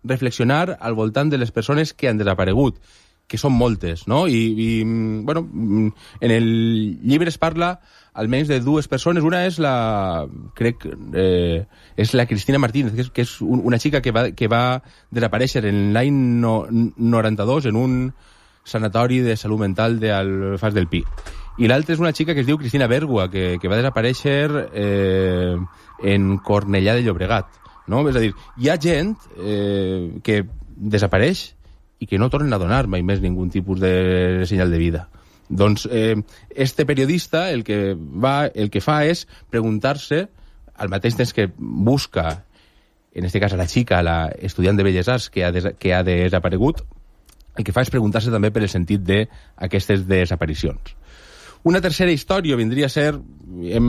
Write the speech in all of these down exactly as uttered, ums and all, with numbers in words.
reflexionar al voltant de les persones que han desaparegut, que són moltes, no? I, i bueno, en el llibre es parla almenys de dues persones. Una és la, crec, eh, és la Cristina Martínez, que és, que és una xica que va, que va desaparèixer en l'any no, noranta-dos en un sanatori de salut mental d'Alfàs del Pi. I l'altra és una xica que es diu Cristina Bèrgua, que, que va desaparèixer eh, en Cornellà de Llobregat. No? És a dir, hi ha gent eh, que desapareix i que no tornen a donar mai més ningun tipus de senyal de vida. Doncs eh, este periodista el que, va, el que fa és preguntar-se, al mateix temps que busca, en este cas a la xica, la estudiant de Belles Arts que ha, des, que ha desaparegut, el que fa és preguntar-se també per el sentit d'aquestes desaparicions. Una tercera història vindria a ser, hem,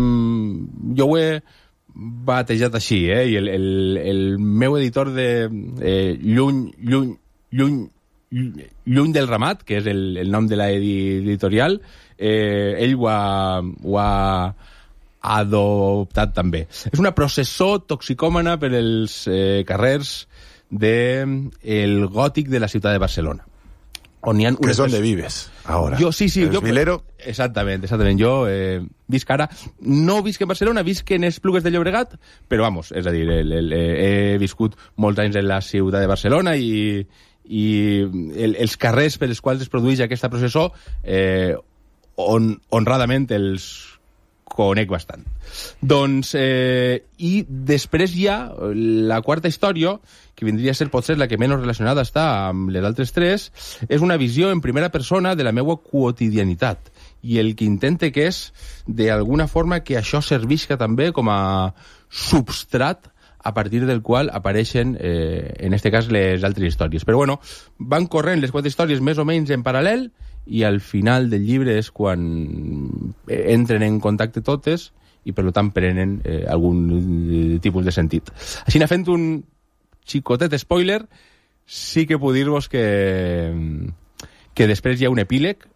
jo ho he batejat així, eh, i el, el, el meu editor de eh, Lluny, Lluny, Lluny, Lluny del Ramat, que és el, el nom de l'editorial, eh, ell ho ha, ho ha adoptat també. És una processó toxicòmana per els eh, carrers del de, gòtic de la ciutat de Barcelona. On hi ha que és on vives, ara. Jo, sí, sí. El jo, Vilero. Exactament, exactament. Jo eh, visc ara, no visc en Barcelona, visc en Esplugues de Llobregat, però, vamos, és a dir, el, el, he viscut molts anys en la ciutat de Barcelona i, i el, els carrers per els quals es produeix aquesta processó, eh, on, honradament els conec bastant. Doncs, eh, i després hi ha la quarta història, que vindria a ser potser la que menys relacionada està amb les altres tres, és una visió en primera persona de la meva quotidianitat. I el que intente que és, d'alguna forma, que això servisca també com a substrat a partir del qual apareixen, eh, en este cas, les altres històries. Però, bueno, van corrent les quatre històries més o menys en paral·lel, i al final del llibre és quan entren en contacte totes i, per tant, prenen eh, algun tipus de sentit. Així, fent un xicotet spoiler, sí que puc dir-vos que, que després hi ha un epíleg,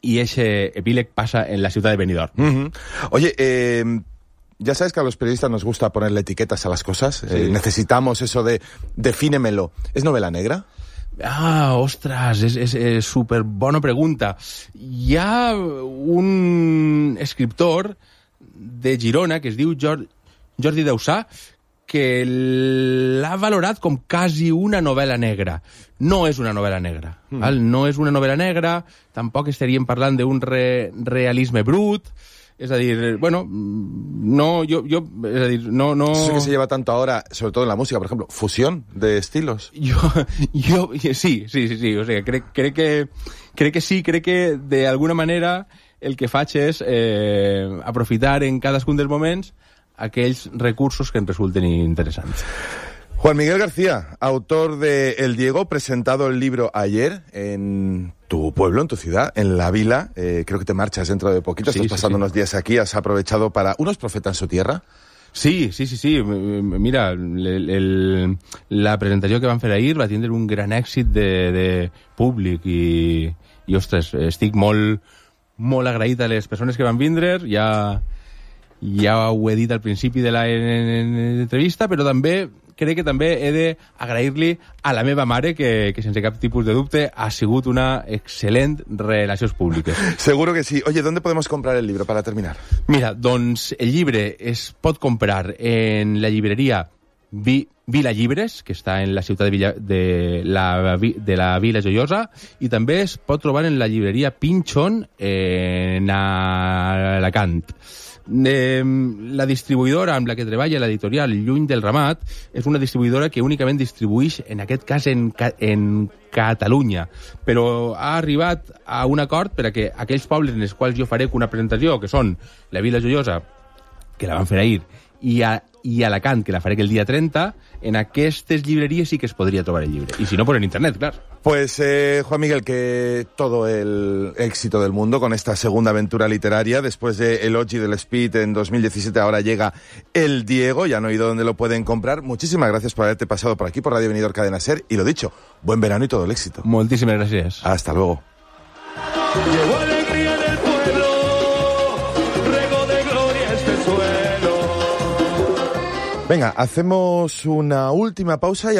y ese epíleg pasa en la ciudad de Benidorm. Uh-huh. Oye, eh... ya sabes que a los periodistas nos gusta ponerle etiquetas a las cosas. Sí. Eh, necesitamos eso de defínemelo. ¿Es novela negra? Ah, ostres, és, és, és super bona pregunta. Hi ha un escriptor de Girona que es diu Jordi Dausà que l'ha valorat com quasi una novel·la negra. No és una novel·la negra. Mm. Val? No és una novel·la negra, tampoc estaríem parlant d'un re, realisme brut. Es decir, bueno, no, yo, yo, es decir, no, no... Eso que se lleva tanto ahora, sobre todo en la música, por ejemplo, fusión de estilos. Yo, yo, sí, sí, sí, sí, o sea, crec, crec que, crec que sí, crec que de alguna manera el que faig és eh, aprofitar en cadascun dels moments aquells recursos que em resulten interessants. Juan Miguel García, autor de El Diego, presentado el libro ayer en tu pueblo, en tu ciudad, en La Vila. Eh, creo que te marchas dentro de poquito, sí, estás pasando sí, sí. unos días aquí, has aprovechado para... ¿Unos profetas en su tierra? Sí, sí, sí, sí. Mira, el, el, la presentació que van fer ahir va tindre un gran èxit de, de públic i, i, ostres, estic molt, molt agraït a les persones que van vindre, ja, ja ho he dit al principi de l'entrevista, però també crec que també he d'agrair-li a la meva mare, que, que sense cap tipus de dubte ha sigut una excel·lent relacions públiques. Seguro que sí. Oye, ¿dónde podemos comprar el libro para terminar? Mira, doncs el llibre es pot comprar en la llibreria Vi, Vila Llibres, que està en la ciutat de, Villa, de, la, de la Vila Joiosa, i també es pot trobar en la llibreria Pinchon en Alacant. Eh, la distribuïdora amb la que treballa l'editorial Lluny del Ramat és una distribuïdora que únicament distribuïx, en aquest cas, en, en Catalunya, però ha arribat a un acord per a que aquells pobles en els quals jo faré una presentació, que són la Vila Joiosa, que la van fer ahir, i, a, i Alacant, que la faré el dia trenta, en aquestes llibreries sí que es podria trobar el llibre. I si no, por en internet, clar. Pues, eh, Juan Miguel, que todo el éxito del mundo con esta segunda aventura literaria. Después de El Oji del Speed en dos mil diecisiete, ahora llega El Diego. Ya han oído dónde lo pueden comprar. Muchísimas gracias por haberte pasado por aquí, por Radio Benidorm Cadena Ser. Y lo dicho, buen verano y todo el éxito. Moltíssimes gràcies. Hasta luego. Llegó alegría del pueblo, rego de gloria este suelo. Venga, hacemos una última pausa y